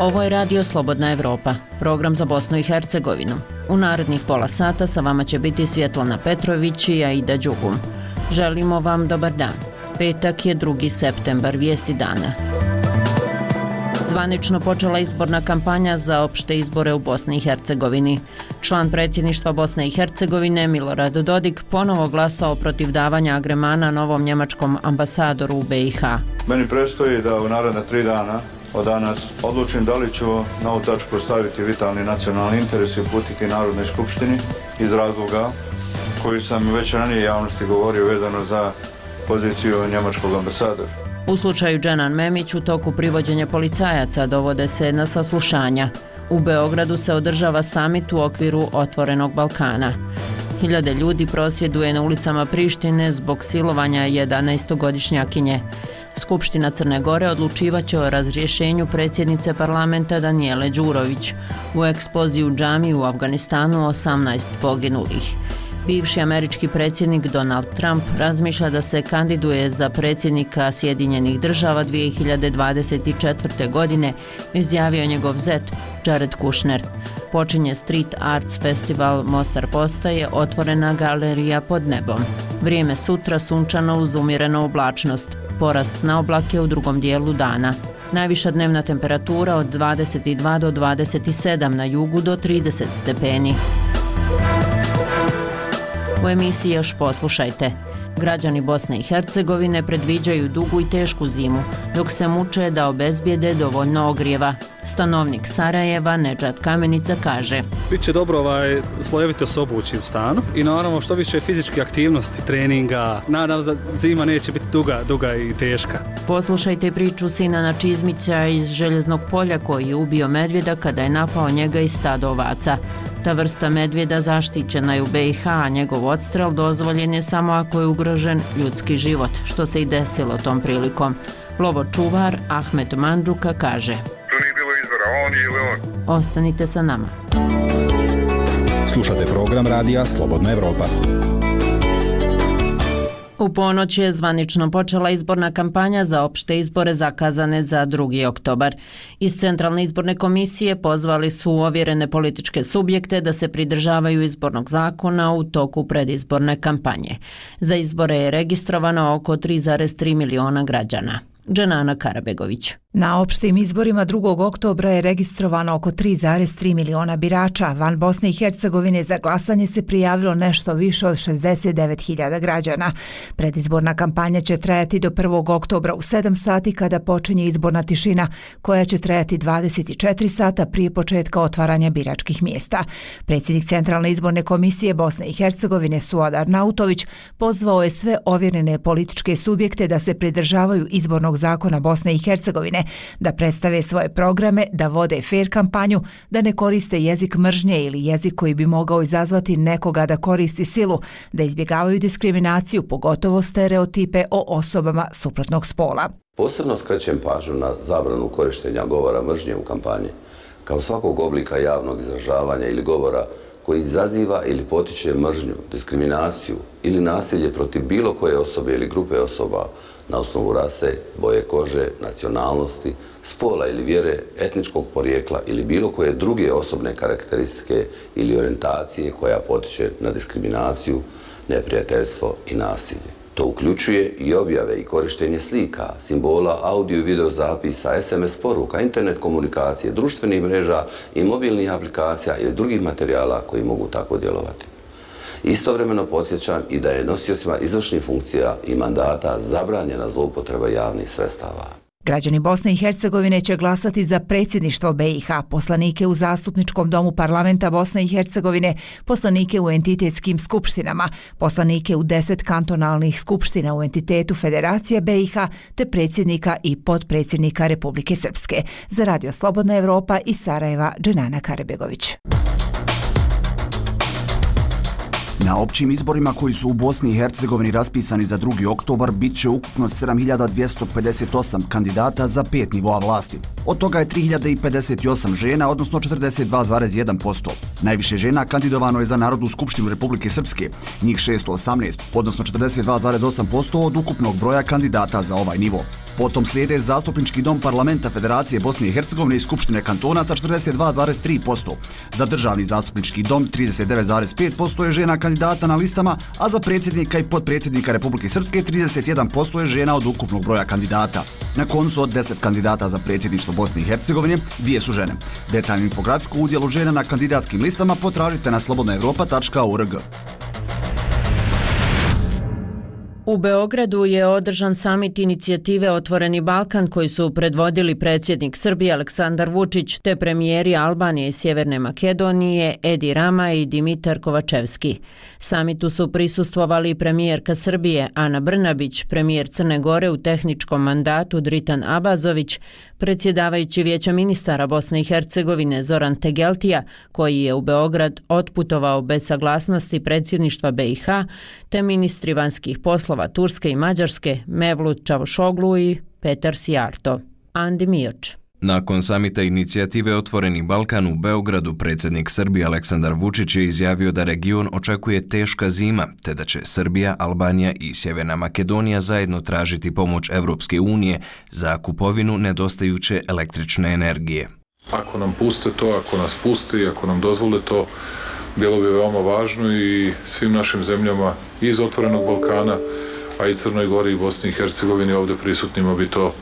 Ovo je Radio Slobodna Evropa, program za Bosnu i Hercegovinu. U narednih pola sata sa vama će biti Svjetlana Petrović i Aida Đugum. Želimo vam dobar dan. Petak je 2. septembar, vijesti dana. Zvanično počela izborna kampanja za opšte izbore u Bosni i Hercegovini. Član predsjedništva Bosne i Hercegovine Milorad Dodik ponovo glasao protiv davanja agremana novom njemačkom ambasadoru u BiH. Meni predstoji da u naredna 3 dana od danas odlučim da li ću na ovu tačku staviti vitalni nacionalni interes i uputiti Narodnoj skupštini iz razloga koji sam već ranije javnosti govorio vezano za poziciju njemačkog ambasadora. U slučaju Dženan Memić u toku privođenja policajaca dovode se na saslušanja. U Beogradu se održava samit u okviru Otvorenog Balkana. Hiljade ljudi prosvjeduje na ulicama Prištine zbog silovanja 11-godišnjakinje. Skupština Crne Gore odlučivaće o razrješenju predsjednice parlamenta Danijele Đurović. U eksploziji u džamiji u Afganistanu 18 poginulih. Bivši američki predsjednik Donald Trump razmišlja da se kandiduje za predsjednika Sjedinjenih država 2024. godine, izjavio njegov zet Jared Kushner. Počinje Street Arts Festival Mostar postaje otvorena galerija pod nebom. Vrijeme sutra sunčano uz umjerenu oblačnost, porast na oblake u drugom dijelu dana. Najviša dnevna temperatura od 22 do 27, na jugu do 30 stepeni. U emisiji još poslušajte. Građani Bosne i Hercegovine predviđaju dugu i tešku zimu, dok se muče da obezbijede dovoljno ogrijeva. Stanovnik Sarajeva, Nedžad Kamenica, kaže: Biće dobro slojevito se obući u stanu i naravno što više fizičke aktivnosti, treninga. Nadam se da zima neće biti duga i teška. Poslušajte priču Sinana Čizmića iz Željeznog polja koji je ubio medvjeda kada je napao njega iz stada ovaca. Ta vrsta medvjeda zaštićena je u BiH, a njegov odstrel dozvoljen je samo ako je ugrožen ljudski život, što se i desilo tom prilikom. Lovočuvar Ahmet Mandžuka kaže: Tu nije bilo izbora, on ili on. Ostanite sa nama. Slušate program radija Slobodna Evropa. U ponoć je zvanično počela izborna kampanja za opšte izbore zakazane za 2. oktobar. Iz Centralne izborne komisije pozvali su ovjerene političke subjekte da se pridržavaju izbornog zakona u toku predizborne kampanje. Za izbore je registrovano oko 3,3 miliona građana. Dženana Karabegović. Na opštim izborima 2. oktobra je registrovano oko 3,3 miliona birača. Van Bosne i Hercegovine za glasanje se prijavilo nešto više od 69.000 građana. Predizborna kampanja će trajati do 1. oktobra u 7 sati kada počinje izborna tišina, koja će trajati 24 sata prije početka otvaranja biračkih mjesta. Predsjednik Centralne izborne komisije Bosne i Hercegovine Suad Arnautović pozvao je sve ovjerene političke subjekte da se pridržavaju izbornog zakona Bosne i Hercegovine, da predstave svoje programe, da vode fair kampanju, da ne koriste jezik mržnje ili jezik koji bi mogao izazvati nekoga da koristi silu, da izbjegavaju diskriminaciju, pogotovo stereotipe o osobama suprotnog spola. Posebno skrećem pažnju na zabranu korištenja govora mržnje u kampanji, kao svakog oblika javnog izražavanja ili govora koji izaziva ili potiče mržnju, diskriminaciju ili nasilje protiv bilo koje osobe ili grupe osoba na osnovu rase, boje kože, nacionalnosti, spola ili vjere, etničkog porijekla ili bilo koje druge osobne karakteristike ili orijentacije koja potiče na diskriminaciju, neprijateljstvo i nasilje. To uključuje i objave i korištenje slika, simbola, audio i video zapisa, SMS poruka, internet komunikacije, društvenih mreža i mobilnih aplikacija ili drugih materijala koji mogu tako djelovati. Istovremeno podsjećam i da je nosiocima izvršnih funkcija i mandata zabranjena zloupotreba javnih sredstava. Građani Bosne i Hercegovine će glasati za predsjedništvo BiH, poslanike u Zastupničkom domu parlamenta Bosne i Hercegovine, poslanike u entitetskim skupštinama, poslanike u 10 kantonalnih skupština u entitetu Federacije BiH, te predsjednika i potpredsjednika Republike Srpske. Za Radio Slobodna Evropa iz Sarajeva, Dženana Karabegović. Na općim izborima koji su u Bosni i Hercegovini raspisani za 2. oktobar bit će ukupno 7258 kandidata za 5 nivoa vlasti. Od toga je 3058 žena, odnosno 42,1%. Najviše žena kandidovano je za Narodnu skupštinu Republike Srpske, njih 618, odnosno 42,8% od ukupnog broja kandidata za ovaj nivo. Potom slijede Zastupnički dom Parlamenta Federacije Bosne i Hercegovine i Skupštine kantona sa 42,3%. Za Državni zastupnički dom 39,5% je žena kandidata na listama, a za predsjednika i potpredsjednika Republike Srpske 31% je žena od ukupnog broja kandidata. Na koncu od 10 kandidata za predsjedništvo Bosne i Hercegovine, 2 su žene. Detaljnu infografiku u udjelu žena na kandidatskim listama potražite na slobodnaevropa.org. U Beogradu je održan samit inicijative Otvoreni Balkan koji su predvodili predsjednik Srbije Aleksandar Vučić te premijeri Albanije i Sjeverne Makedonije Edi Rama i Dimitar Kovačevski. Samitu su prisustvovali premijerka Srbije Ana Brnabić, premijer Crne Gore u tehničkom mandatu Dritan Abazović, predsjedavajući Vijeća ministara Bosne i Hercegovine Zoran Tegeltija, koji je u Beograd otputovao bez saglasnosti predsjedništva BiH, te ministri vanjskih poslova Turske i Mađarske Mevlut Čavuşoglu i Petar Sijarto. Andi Mioč. Nakon samita inicijative Otvoreni Balkan u Beogradu, predsjednik Srbije Aleksandar Vučić je izjavio da region očekuje teška zima, te da će Srbija, Albanija i Sjeverna Makedonija zajedno tražiti pomoć Evropske unije za kupovinu nedostajuće električne energije. Ako nam puste to, ako nas puste i ako nam dozvole to, bilo bi veoma važno i svim našim zemljama iz Otvorenog Balkana, a i Crnoj Gori i Bosni i Hercegovini ovdje prisutnima bi to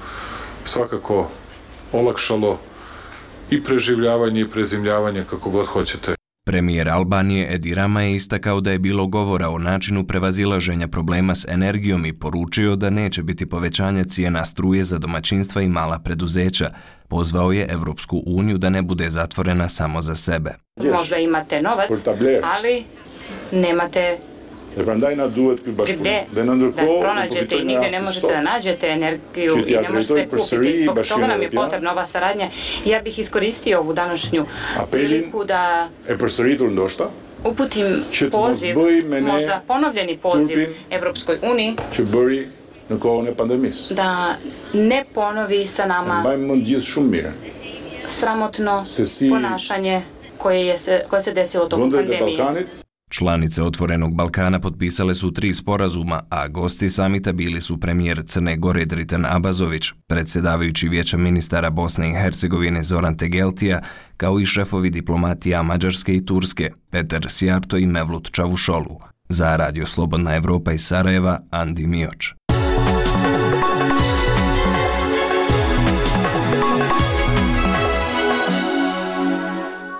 svakako olakšalo i preživljavanje i prezimljavanje, kako god hoćete. Premijer Albanije Edi Rama je istakao da je bilo govora o načinu prevazilaženja problema s energijom i poručio da neće biti povećanja cijena struje za domaćinstva i mala preduzeća. Pozvao je Evropsku uniju da ne bude zatvorena samo za sebe. Možda imate novac, ali nemate gdje da pronađete i nigdje ne možete da nađete energiju i ne možete kupiti. Zbog toga nam je potrebna ova saradnja. Ja bih iskoristio ovu današnju priliku da uputim poziv, možda ponovljeni poziv Evropskoj uniji da ne ponovi sa nama sramotno ponašanje koje se desilo tokom pandemije. Članice Otvorenog Balkana potpisale su 3 sporazuma, a gosti samita bili su premijer Crne Gore Dritan Abazović, predsjedavajući Vijeća ministara Bosne i Hercegovine Zoran Tegeltija, kao i šefovi diplomatija Mađarske i Turske, Petar Sijarto i Mevlut Čavuşoglu. Za Radio Slobodna Evropa iz Sarajeva, Andi Mioč.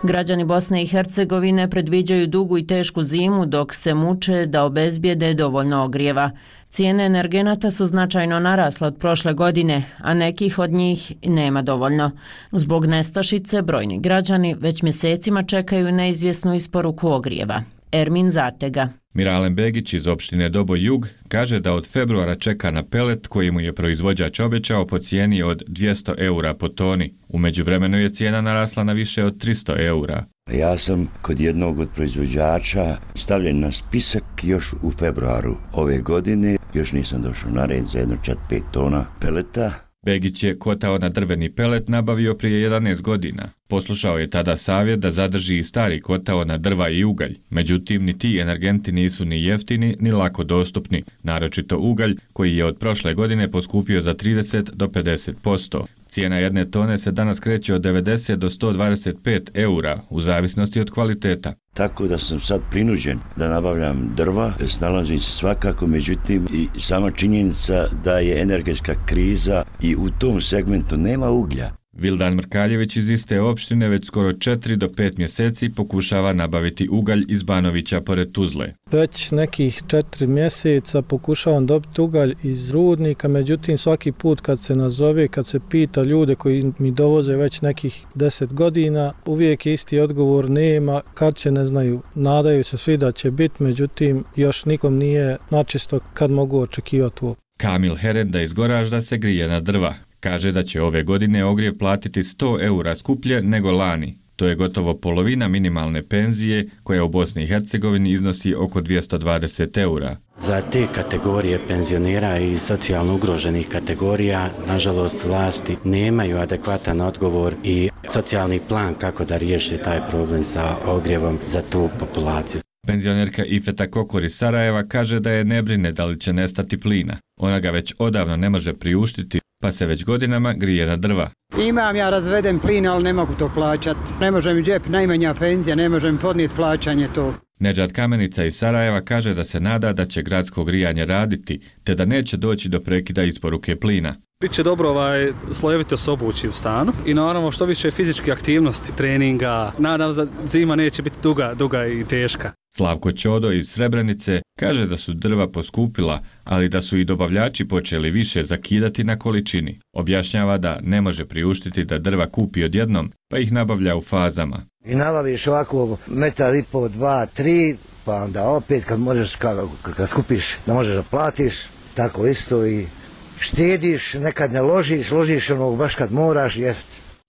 Građani Bosne i Hercegovine predviđaju dugu i tešku zimu dok se muče da obezbijede dovoljno ogrijeva. Cijene energenata su značajno narasle od prošle godine, a nekih od njih nema dovoljno. Zbog nestašice brojni građani već mjesecima čekaju neizvjesnu isporuku ogrijeva. Ermin Zatega. Miralem Begić iz opštine Doboj Jug kaže da od februara čeka na pelet koji mu je proizvođač obećao po cijeni od 200 eura po toni. U međuvremenu je cijena narasla na više od 300 eura. Ja sam kod jednog od proizvođača stavljen na spisak još u februaru ove godine. Još nisam došao na red za jedno 4-5 tona peleta. Begić je kotao na drveni pelet nabavio prije 11 godina. Poslušao je tada savjet da zadrži i stari kotao na drva i ugalj. Međutim, ni ti energenti nisu ni jeftini ni lako dostupni, naročito ugalj koji je od prošle godine poskupio za 30 do 50%. Cijena jedne tone se danas kreće od 90 do 125 eura, u zavisnosti od kvaliteta. Tako da sam sad prinuđen da nabavljam drva, snalazim se svakako, međutim i sama činjenica da je energetska kriza i u tom segmentu nema uglja. Vildan Mrkaljević iz iste opštine već skoro 4 do 5 mjeseci pokušava nabaviti ugalj iz Banovića pored Tuzle. Već nekih 4 mjeseca pokušavam dobiti ugalj iz rudnika, međutim svaki put kad se nazove, kad se pita ljude koji mi dovoze već nekih 10 godina, uvijek je isti odgovor nema, kad će ne znaju, nadaju se svi da će biti, međutim još nikom nije načisto kad mogu očekivati ovo. Kamil Herenda iz Goražda se grije na drva. Kaže da će ove godine ogrjev platiti 100 eura skuplje nego lani. To je gotovo polovina minimalne penzije koja u Bosni i Hercegovini iznosi oko 220 eura. Za te kategorije penzionera i socijalno ugroženih kategorija, nažalost, vlasti nemaju adekvatan odgovor i socijalni plan kako da riješi taj problem sa ogrjevom za tu populaciju. Penzionerka Ifeta Kokor iz Sarajeva kaže da je ne brine da li će nestati plina. Ona ga već odavno ne može priuštiti, pa se već godinama grije na drva. Imam ja razveden plin, ali ne mogu to plaćati. Ne može mi džep, najmanja penzija, ne može mi podnijeti plaćanje to. Nedžad Kamenica iz Sarajeva kaže da se nada da će gradsko grijanje raditi, te da neće doći do prekida isporuke plina. Biće dobro slojevito se obući u stanu i naravno što više fizičke aktivnosti, treninga. Nadam se da zima neće biti duga i teška. Slavko Ćodo iz Srebrenice kaže da su drva poskupila, ali da su i dobavljači počeli više zakidati na količini. Objašnjava da ne može priuštiti da drva kupi odjednom, pa ih nabavlja u fazama. I nabaviš ovako metar i pol, 2, 3, pa onda opet kad možeš, kad skupiš da možeš da platiš, tako isto i štediš, nekad ne ložiš ono baš kad moraš jer...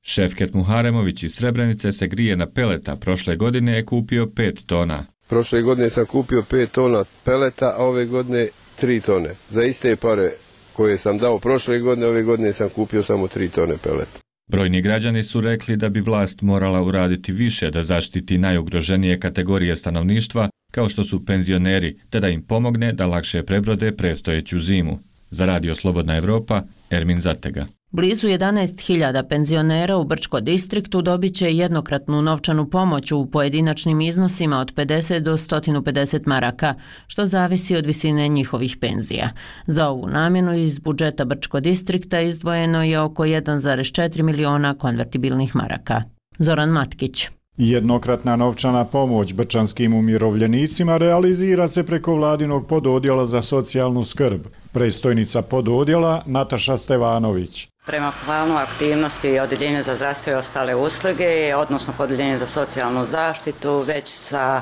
Šefket Muharemović iz Srebrenice se grije na peleta, prošle godine je kupio 5 tona. Prošle godine sam kupio 5 tona peleta, a ove godine 3 tone. Za iste pare koje sam dao prošle godine, ove godine sam kupio samo 3 tone peleta. Brojni građani su rekli da bi vlast morala uraditi više da zaštiti najugroženije kategorije stanovništva, kao što su penzioneri, te da im pomogne da lakše prebrode predstojeću zimu. Za Radio Slobodna Evropa, Ermin Zatega. Blizu 11.000 penzionera u Brčko distriktu dobit će jednokratnu novčanu pomoć u pojedinačnim iznosima od 50 do 150 maraka, što zavisi od visine njihovih penzija. Za ovu namjenu iz budžeta Brčko distrikta izdvojeno je oko 1,4 miliona konvertibilnih maraka. Zoran Matkić. Jednokratna novčana pomoć brčanskim umirovljenicima realizira se preko vladinog pododjela za socijalnu skrb. Predstojnica pododjela Nataša Stevanović. Prema planu aktivnosti Odjeljenja za zdravstvo i ostale usluge, odnosno Odjeljenje za socijalnu zaštitu, već sa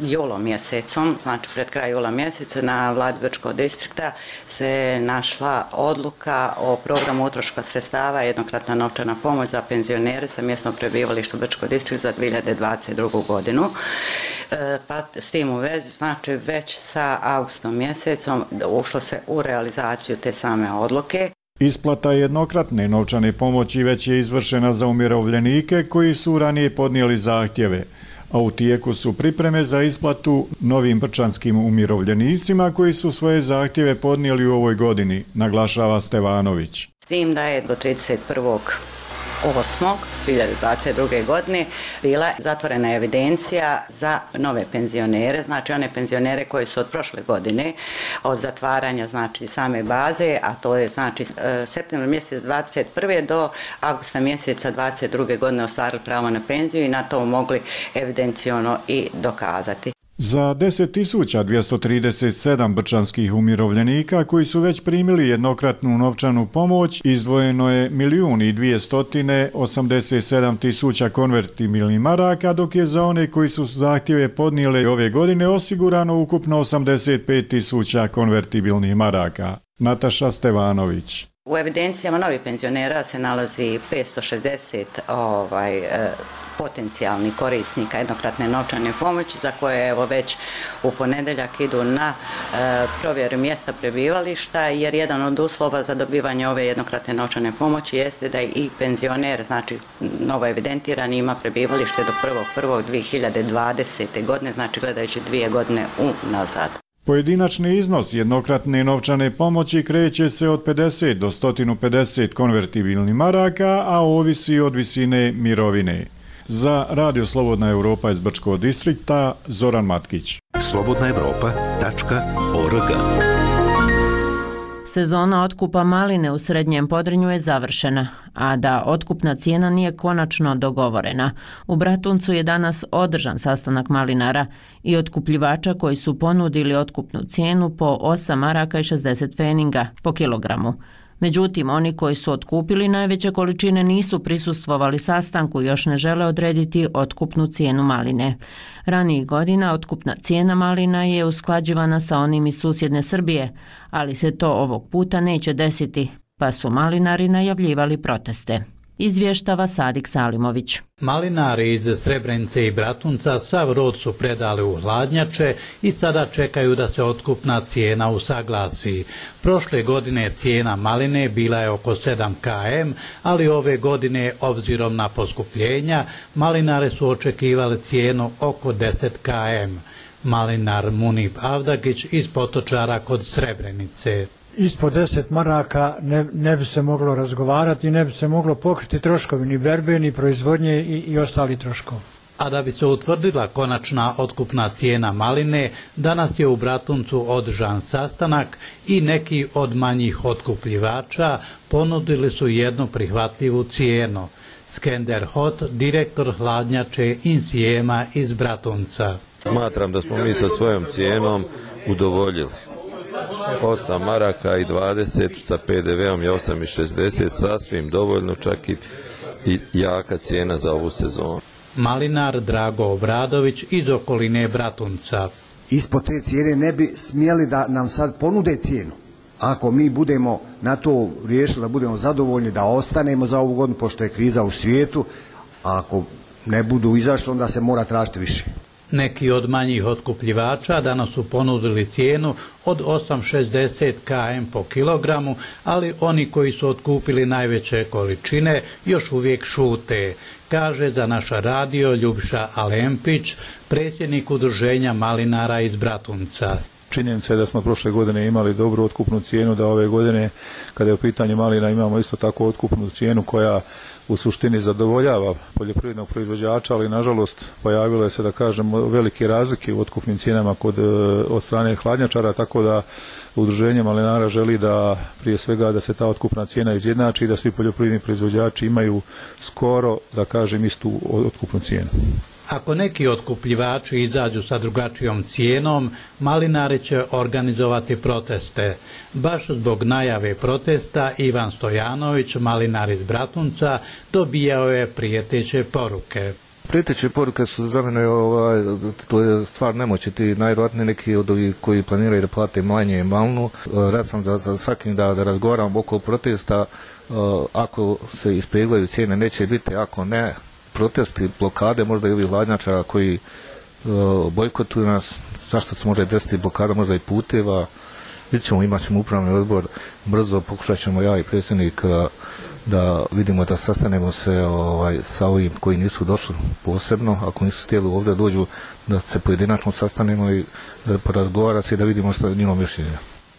julom mjesecom, znači pred kraj jula mjeseca na vladi Brčkog distrikta se našla odluka o programu utroška sredstava jednokratna novčana pomoć za penzionere sa mjesnog prebivališta u Brčkog distriktu za 2022. godinu. Pa s tim u vezi, znači već sa avgustom mjesecom ušlo se u realizaciju te same odluke. Isplata jednokratne novčane pomoći već je izvršena za umirovljenike koji su ranije podnijeli zahtjeve, a u tijeku su pripreme za isplatu novim brčanskim umirovljenicima koji su svoje zahtjeve podnijeli u ovoj godini, naglašava Stevanović. S tim da je do 31.8.2022. godine bila zatvorena evidencija za nove penzionere, znači one penzionere koji su od prošle godine od zatvaranja znači same baze, a to je znači septembar mjesec 21. do avgusta mjeseca 22. godine ostvarili pravo na penziju i na to mogli evidenciono i dokazati. Za 10.237 brčanskih umirovljenika koji su već primili jednokratnu novčanu pomoć izdvojeno je 1.287.000 konvertibilnih maraka, dok je za one koji su zahtjeve podnijeli ove godine osigurano ukupno 85.000 konvertibilnih maraka. Nataša Stevanović. U evidencijama novih penzionera se nalazi 560 potencijalnih korisnika jednokratne novčane pomoći za koje evo već u ponedjeljak idu na provjeru mjesta prebivališta, jer jedan od uslova za dobivanje ove jednokratne novčane pomoći jeste da i penzioner, znači novo evidentirani, ima prebivalište do 1.1.2020. godine, znači gledajući 2 godine unazad. Pojedinačni iznos jednokratne novčane pomoći kreće se od 50 do 150 konvertibilnih maraka, a ovisi od visine mirovine. Za Radio Slobodna Evropa iz Brčkog distrikta, Zoran Matkić. slobodnaevropa.org. Sezona otkupa maline u Srednjem Podrinju je završena, a da otkupna cijena nije konačno dogovorena. U Bratuncu je danas održan sastanak malinara i otkupljivača koji su ponudili otkupnu cijenu po 8 maraka i 60 pfeninga po kilogramu. Međutim, oni koji su otkupili najveće količine nisu prisustvovali sastanku i još ne žele odrediti otkupnu cijenu maline. Ranijih godina otkupna cijena malina je usklađivana sa onim iz susjedne Srbije, ali se to ovog puta neće desiti, pa su malinari najavljivali proteste. izvještava Sadik Salimović. Malinari iz Srebrenice i Bratunca sav rod su predali u hladnjače i sada čekaju da se otkupna cijena usaglasi. Prošle godine cijena maline bila je oko 7 km, ali ove godine, obzirom na poskupljenja, malinare su očekivali cijenu oko 10 km. Malinar Munip Avdagić iz Potočara kod Srebrenice. Ispod 10 maraka ne bi se moglo razgovarati i ne bi se moglo pokriti troškovi ni berbe, ni proizvodnje i ostali troškovi. A da bi se utvrdila konačna otkupna cijena maline, danas je u Bratuncu održan sastanak i neki od manjih otkupljivača ponudili su jednu prihvatljivu cijenu. Skender Hot, direktor hladnjače Insijema iz Bratunca. Smatram da smo mi sa svojom cijenom udovoljili. 8 maraka i 20 sa PDV-om je 8,60, sasvim dovoljno, čak i jaka cijena za ovu sezonu. Malinar Drago Obradović iz okoline Bratunca. Ispod te cijene ne bi smjeli da nam sad ponude cijenu. Ako mi budemo na to riješili, da budemo zadovoljni, da ostanemo za ovu godinu, pošto je kriza u svijetu, a ako ne budu izašli, onda se mora tražiti više. Neki od manjih otkupljivača danas su ponudili cijenu od 8,60 km po kilogramu, ali oni koji su otkupili najveće količine još uvijek šute, kaže za naš radio Ljubiša Alempić, predsjednik udruženja malinara iz Bratunca. Činjenica je da smo prošle godine imali dobru otkupnu cijenu, da ove godine, kada je u pitanju malina, imamo isto tako otkupnu cijenu koja u suštini zadovoljava poljoprivrednog proizvođača, ali nažalost pojavile se, da kažemo, velike razlike u otkupnim cijenama od strane hladnjačara, tako da udruženje malinara želi da prije svega da se ta otkupna cijena izjednači i da svi poljoprivredni proizvođači imaju skoro, da kažem, istu otkupnu cijenu. Ako neki otkupljivači izađu sa drugačijom cijenom, malinari će organizovati proteste. Baš zbog najave protesta Ivan Stojanović, malinar iz Bratunca, dobijao je prijeteće poruke. Prijeteće poruke su za mene to je stvar nemoći, ti najvjerojatnije neki od ovih koji planiraju da plate manje malinu. Rad sam za svakim da razgovaram oko protesta, ako se ispeglaju cijene neće biti, ako ne, protesti, blokade, možda i ovih hladnjačara koji bojkotuju nas, zašto se može desiti blokada, možda i puteva. Vidjet ćemo, imat ćemo upravni odbor, brzo pokušat ćemo ja i predsjednik da vidimo da sastanemo se sa ovim koji nisu došli posebno, ako nisu htjeli ovdje dođu, da se pojedinačno sastanemo i porazgovara se i da vidimo što je njeno mišljenje.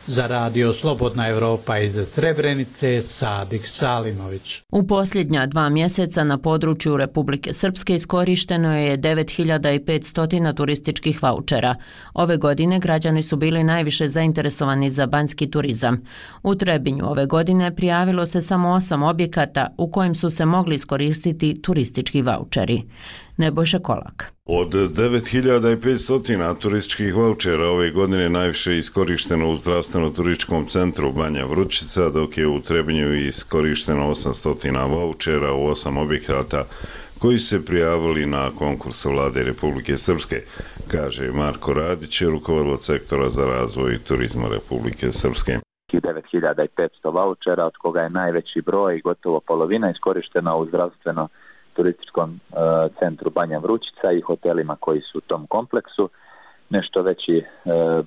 Za radio Slobodna Evropa iz Srebrenice, Sadik Salimović. U posljednja 2 mjeseca na području Republike Srpske iskorišteno je 9500 turističkih vaučera. Ove godine građani su bili najviše zainteresovani za banjski turizam. U Trebinju ove godine prijavilo se samo 8 objekata u kojim su se mogli iskoristiti turistički vaučeri. Nebojša Kolak. Od 9500 turističkih vaučera ove godine najviše iskorišteno u zdravstveno-turističkom centru Banja Vrućica, dok je u Trebinju iskorišteno 800 vaučera u 8 objekata koji se prijavili na konkurs Vlade Republike Srpske, kaže Marko Radić, rukovodilac sektora za razvoj turizma Republike Srpske. 9500 vaučera, od koga je najveći broj, gotovo polovina, iskorištena u zdravstveno-turističkom centru Banja Vrućica i hotelima koji su u tom kompleksu. Nešto veći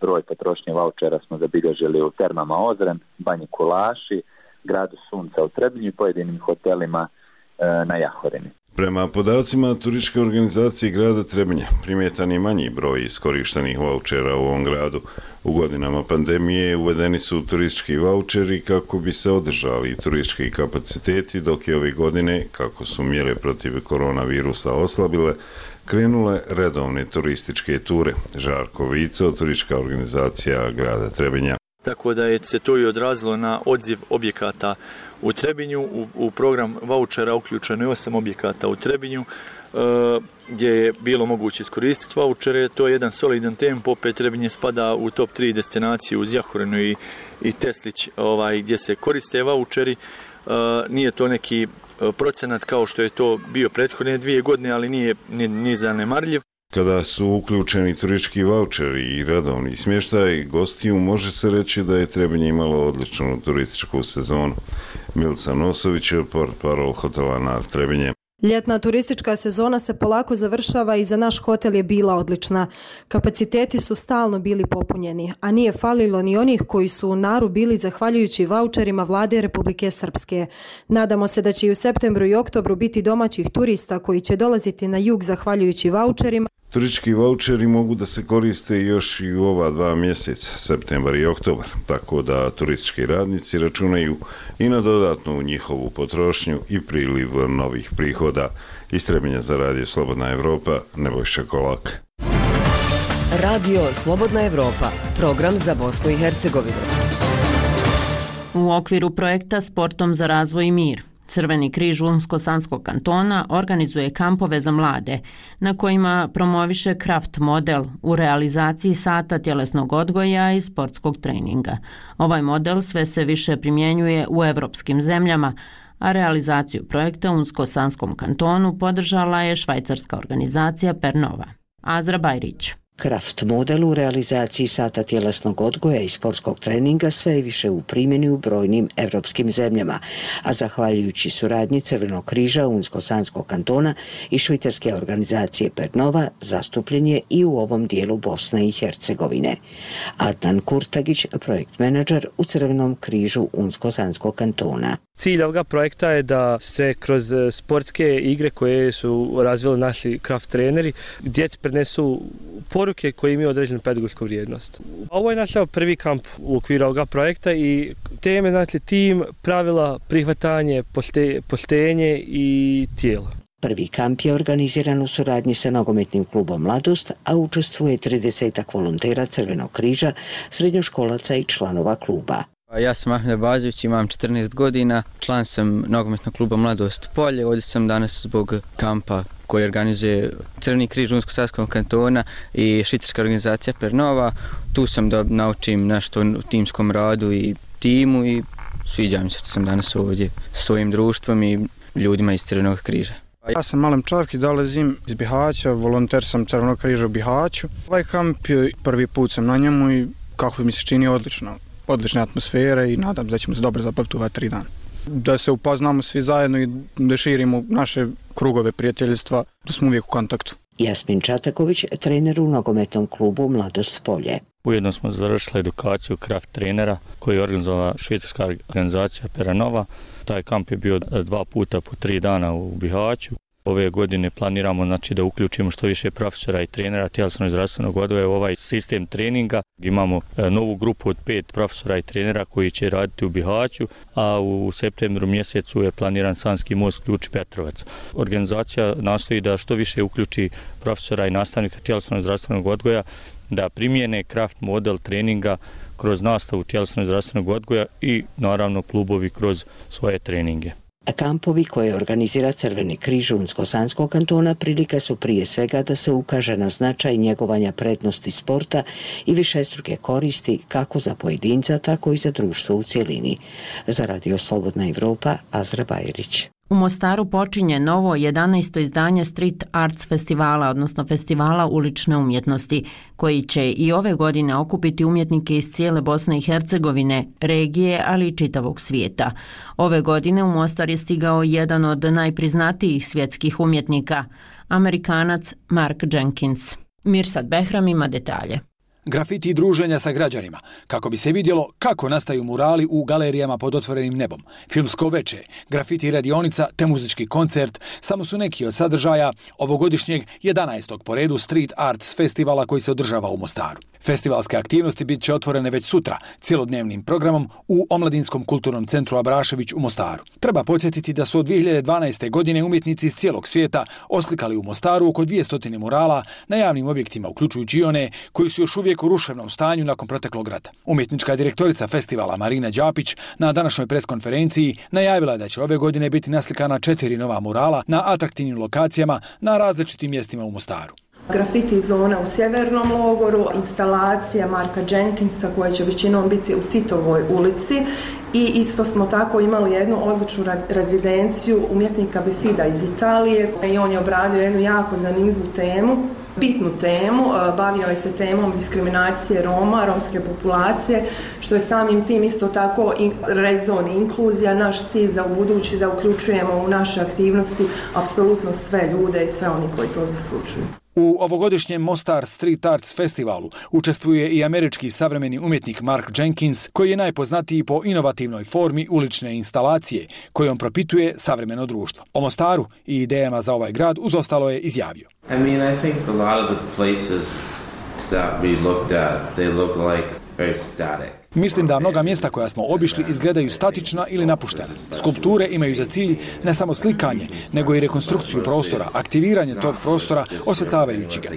broj potrošnje vaučera smo zabilježili u Termama Ozren, Banji Kulaši, Gradu Sunca u Trebinju i pojedinim hotelima na Jahorini. Prema podacima turističke organizacije grada Trebinja, primjetan je manji broj iskorištenih vaučera u ovom gradu. U godinama pandemije uvedeni su turistički vaučeri kako bi se održali turistički kapaciteti, dok je ove godine, kako su mjere protiv koronavirusa oslabile, krenule redovne turističke ture. Žarko Vico, turistička organizacija grada Trebinja. Tako da je se to i odrazilo na odziv objekata u Trebinju. U program vaučera uključeno je 8 objekata u Trebinju gdje je bilo moguće iskoristiti vaučere. To je jedan solidan tempo, opet Trebinje spada u top 3 destinacije uz Jahorinu i Teslić gdje se koriste vaučeri. Nije to neki procenat kao što je to bio prethodne 2 godine, ali nije ni zanemarljiv. Kada su uključeni turistički vaučeri i redovni smještaj gostiju, može se reći da je Trebinje imalo odličnu turističku sezonu. Milica Nosović, portparol hotela Nar Trebinje. Ljetna turistička sezona se polako završava i za naš hotel je bila odlična. Kapaciteti su stalno bili popunjeni, a nije falilo ni onih koji su u Naru bili zahvaljujući vaučerima Vlade Republike Srpske. Nadamo se da će i u septembru i oktobru biti domaćih turista koji će dolaziti na jug zahvaljujući vaučerima. Turistički vaučeri mogu da se koriste još i u ova 2 mjeseca, septembar i oktobar, tako da turistički radnici računaju i na dodatnu njihovu potrošnju i priliv novih prihoda. Iz Trebinja za Radio Slobodna Evropa, Nebojša Kolak. Radio Slobodna Evropa, program za Bosnu i Hercegovinu. U okviru projekta Sportom za razvoj i mir, Crveni križ Unsko-Sanskog kantona organizuje kampove za mlade, na kojima promoviše kraft model u realizaciji sata tjelesnog odgoja i sportskog treninga. Ovaj model sve se više primjenjuje u evropskim zemljama, a realizaciju projekta u Unsko-Sanskom kantonu podržala je švajcarska organizacija Pernova. Azra Bajrić. Kraft model u realizaciji sata tjelesnog odgoja i sportskog treninga sve je više u primjeni u brojnim evropskim zemljama, a zahvaljujući suradnji Crvenog križa Unsko-Sanskog kantona i švicarske organizacije Pernova zastupljen je i u ovom dijelu Bosne i Hercegovine. Adnan Kurtagić, projekt menadžer u Crvenom križu Unsko-Sanskog kantona. Cilj ovoga projekta je da se kroz sportske igre koje su razvili naši kraft treneri, djeci prenesu poruke koje imaju određenu pedagošku vrijednost. Ovo je naš prvi kamp u okviru ovoga projekta i teme, znači tim, pravila, prihvatanje, poštenje i tijelo. Prvi kamp je organiziran u suradnji sa nogometnim klubom Mladost, a učestvuje 30-ak volontera Crvenog križa, srednjoškolaca i članova kluba. Ja sam Ahmed Bazović, imam 14 godina, član sam nogometnog kluba Mladost Polje. Ovdje sam danas zbog kampa koji organizuje Crveni križ Unsko-Sanskog kantona i švicarska organizacija Pernova. Tu sam da naučim nešto o timskom radu i timu i sviđa mi se što sam danas ovdje sa svojim društvom i ljudima iz Crvenog križa. Ja sam Malem Čavki, dolazim iz Bihaća, volonter sam Crvenog križa u Bihaću. Ovaj kamp prvi put sam na njemu i kako mi se čini odlična atmosfera i nadam da ćemo se dobro zabaviti u 3 dana. Da se upoznamo svi zajedno i da širimo naše krugove prijateljstva, da smo uvijek u kontaktu. Jasmin Čataković, trener u nogometnom klubu Mladost Polje. Ujedno smo završili edukaciju kraft trenera koju je organizovala švicarska organizacija Pernova. Taj kamp je bio 2 puta po 3 dana u Bihaću. Ove godine planiramo da uključimo što više profesora i trenera tjelesnog i zdravstvenog odgoja u ovaj sistem treninga. Imamo novu grupu od 5 profesora i trenera koji će raditi u Bihaću, a u septembru mjesecu je planiran Sanski most Ključ Petrovac. Organizacija nastoji da što više uključi profesora i nastavnika tjelesnog i zdravstvenog odgoja da primijene kraft model treninga kroz nastavu tjelesnog i zdravstvenog odgoja i naravno klubovi kroz svoje treninge. Kampovi koje organizira Crveni križ Unsko-Sanskog kantona prilika su prije svega da se ukaže na značaj njegovanja prednosti sporta i višestruke koristi kako za pojedinca, tako i za društvo u cjelini. Za Radio Slobodna Evropa, Azra Bajrić. U Mostaru počinje novo 11. izdanje Street Arts festivala, odnosno festivala ulične umjetnosti, koji će i ove godine okupiti umjetnike iz cijele Bosne i Hercegovine, regije, ali i čitavog svijeta. Ove godine u Mostar je stigao jedan od najpriznatijih svjetskih umjetnika, Amerikanac Mark Jenkins. Mirsad Behram ima detalje. Grafiti i druženja sa građanima, kako bi se vidjelo kako nastaju murali u galerijama pod otvorenim nebom, filmsko veče, grafiti radionica te muzički koncert, samo su neki od sadržaja ovogodišnjeg 11. po redu Street Arts festivala koji se održava u Mostaru. Festivalske aktivnosti bit će otvorene već sutra, cjelodnevnim programom u Omladinskom kulturnom centru Abrašević u Mostaru. Treba podsjetiti da su od 2012. godine umjetnici iz cijelog svijeta oslikali u Mostaru oko 200 murala na javnim objektima, uključujući i one koji su još uvijek u ruševnom stanju nakon proteklog rata. Umjetnička direktorica festivala Marina Đapić na današnjoj preskonferenciji najavila je da će ove godine biti naslikana 4 nova murala na atraktivnim lokacijama na različitim mjestima u Mostaru. Grafiti zona u Sjevernom logoru, instalacija Marka Jenkinsa koja će većinom biti u Titovoj ulici i isto smo tako imali jednu odličnu rezidenciju umjetnika Befida iz Italije i on je obradio jednu jako zanimljivu temu bitnu temu. Bavio je se temom diskriminacije Roma, romske populacije, što je samim tim isto tako rezon i inkluzija. Naš cilj za ubudući da uključujemo u naše aktivnosti apsolutno sve ljude i sve oni koji to zaslužuju. U ovogodišnjem Mostar Street Arts festivalu učestvuje i američki savremeni umjetnik Mark Jenkins, koji je najpoznatiji po inovativnoj formi ulične instalacije kojom propituje savremeno društvo. O Mostaru i idejama za ovaj grad uz ostalo je izjavio. I think a lot of the places that we looked at, they look like very static. Mislim da mnoga mjesta koja smo obišli izgledaju statična ili napuštena. Skulpture imaju za cilj ne samo slikanje, nego i rekonstrukciju prostora, aktiviranje tog prostora osvetljavajući ga.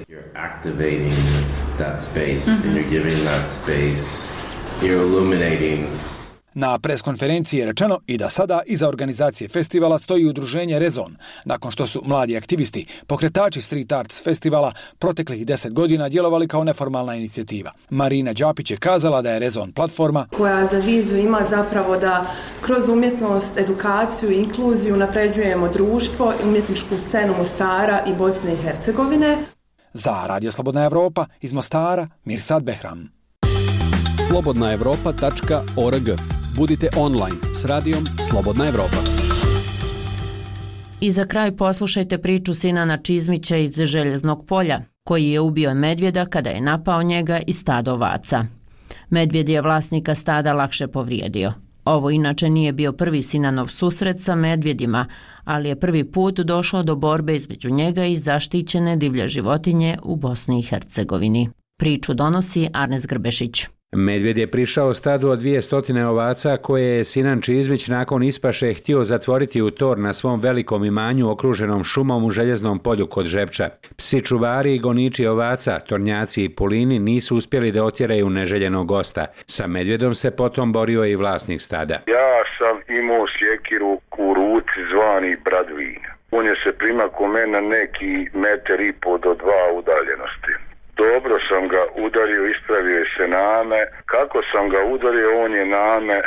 Na preskonferenciji je rečeno i da sada iza organizacije festivala stoji udruženje Rezon, nakon što su mladi aktivisti, pokretači Street Arts festivala, proteklih 10 godina djelovali kao neformalna inicijativa. Marina Đapić je kazala da je Rezon platforma koja za viziju ima zapravo da kroz umjetnost, edukaciju i inkluziju napređujemo društvo i umjetničku scenu Mostara i Bosne i Hercegovine. Za Radio Slobodna Evropa iz Mostara, Mirsad Behram. slobodnaevropa.org. Budite online s radijom Slobodna Evropa. I za kraj poslušajte priču Sinana Čizmića iz Željeznog polja, koji je ubio medvjeda kada je napao njega i stado ovaca. Medvjed je vlasnika stada lakše povrijedio. Ovo inače nije bio prvi Sinanov susret sa medvjedima, ali je prvi put došlo do borbe između njega i zaštićene divlje životinje u Bosni i Hercegovini. Priču donosi Arnes Grbešić. Medvjed je prišao stadu od 200 ovaca koje je Sinan Čizmić nakon ispaše htio zatvoriti u tor na svom velikom imanju okruženom šumom u Željeznom polju kod Žepča. Psi čuvari i goniči ovaca, tornjaci i pulini nisu uspjeli da otjeraju neželjenog gosta. Sa medvjedom se potom borio i vlasnik stada. Ja sam imao sjekiru u ruci zvani Bradvin. On je se primako mene na neki 1,5 do 2 udaljenosti. Dobro sam ga udario, ispravio se name. Kako sam ga udario, on je name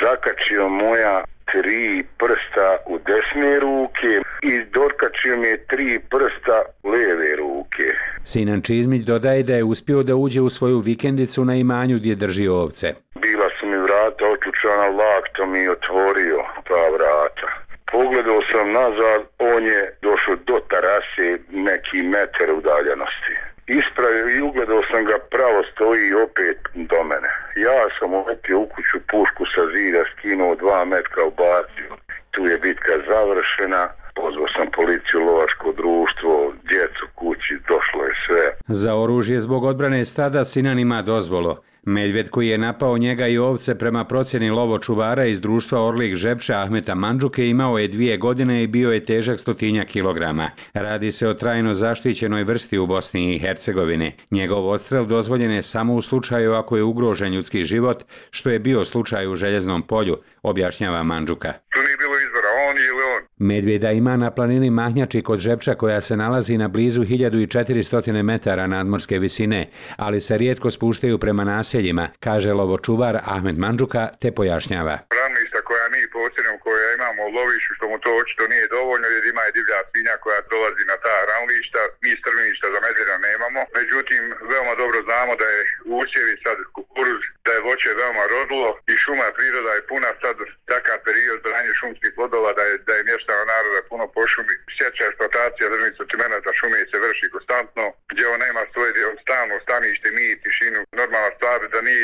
zakačio moja 3 prsta u desne ruke i dokačio mi je 3 prsta u lijeve ruke. Sinan Čizmić dodaje da je uspio da uđe u svoju vikendicu na imanju gdje drži ovce. Bila su mi vrata otključana, lakto mi otvorio ta vrata. Pogledao sam nazad, on je došao do terase neki metar udaljenosti. Ispravio i ugledao sam ga, pravo stoji opet do mene. Ja sam uletio u kuću, pušku sa zida skinuo 2 metra ubacio. Tu je bitka završena, pozvao sam policiju, lovačko društvo, djecu kući, došlo je sve. Za oružje zbog odbrane stada Sinan ima dozvolu. Medvjed koji je napao njega i ovce prema procjeni lovočuvara iz društva Orlik Žepča Ahmeta Mandžuke imao je 2 godine i bio je težak 100 kilograma. Radi se o trajno zaštićenoj vrsti u Bosni i Hercegovini. Njegov odstrel dozvoljen je samo u slučaju ako je ugrožen ljudski život, što je bio slučaj u Željeznom polju, objašnjava Mandžuka. Tu nije bilo izbora, on ili on. Medvjeda ima na planini Mahnjači kod Žepča koja se nalazi na blizu 1400 metara nadmorske visine, ali se rijetko spuštaju prema naseljima, kaže lovočuvar Ahmed Mandžuka te pojašnjava. Ravništa koja mi posjedujemo, koja imamo u lovištu, što mu to očito nije dovoljno jer ima i divlja svinja koja dolazi na ta ravništa, mi strviništa za medvjeda nemamo. Međutim, veoma dobro znamo da je usjevi sad kukuruz, da je voće veoma rodilo i šuma priroda je puna sad takav period branje šumskih plodova da je mještano naroda puno po šumi. Sjeća eksploatacija državnih sortimenata šume se vrši konstantno, gdje on nema svoje stalno stanište, mir, tišinu, normalna stvar da nije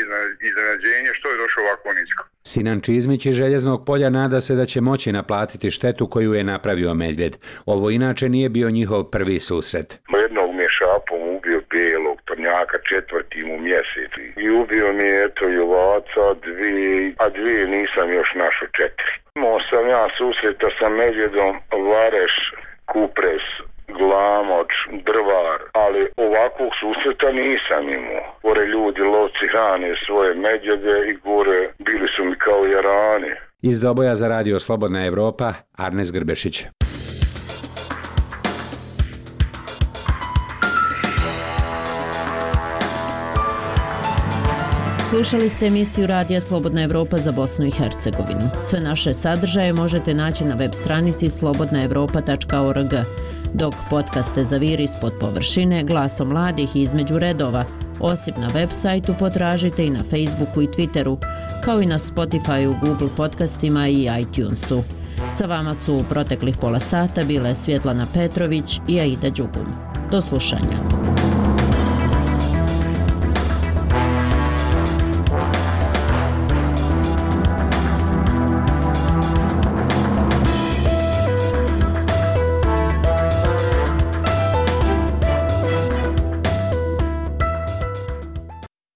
iznenađenje što je došlo ovako nisko. Sinan Čizmić iz Željeznog polja nada se da će moći naplatiti štetu koju je napravio medvjed. Ovo inače nije bio njihov prvi susret. Jednog mi je šapom ubio bijelog tornjaka 4. mjesec i ubio mi je eto i ovaca 2, a 2 nisam još našao 4. Imao sam ja susreta sa medvjedom Vareš, Kupres, Glamoč, Drvar, ali ovakvog susreta nisam imao. Gore ljudi lovci hrane svoje medvjede i gore bili su mi kao jarani. Iz Doboja za Radio Slobodna Evropa, Arnes Grbešić. Slušali ste emisiju Radija Slobodna Evropa za Bosnu i Hercegovinu. Sve naše sadržaje možete naći na web stranici slobodnaevropa.org. dok podcaste zaviri ispod površine glasom mladih i između redova, osim na web sajtu potražite i na Facebooku i Twitteru, kao i na Spotifyu, Google podcastima i iTunesu. Sa vama su u proteklih pola sata bile Svjetlana Petrović i Aida Đugum. Do slušanja.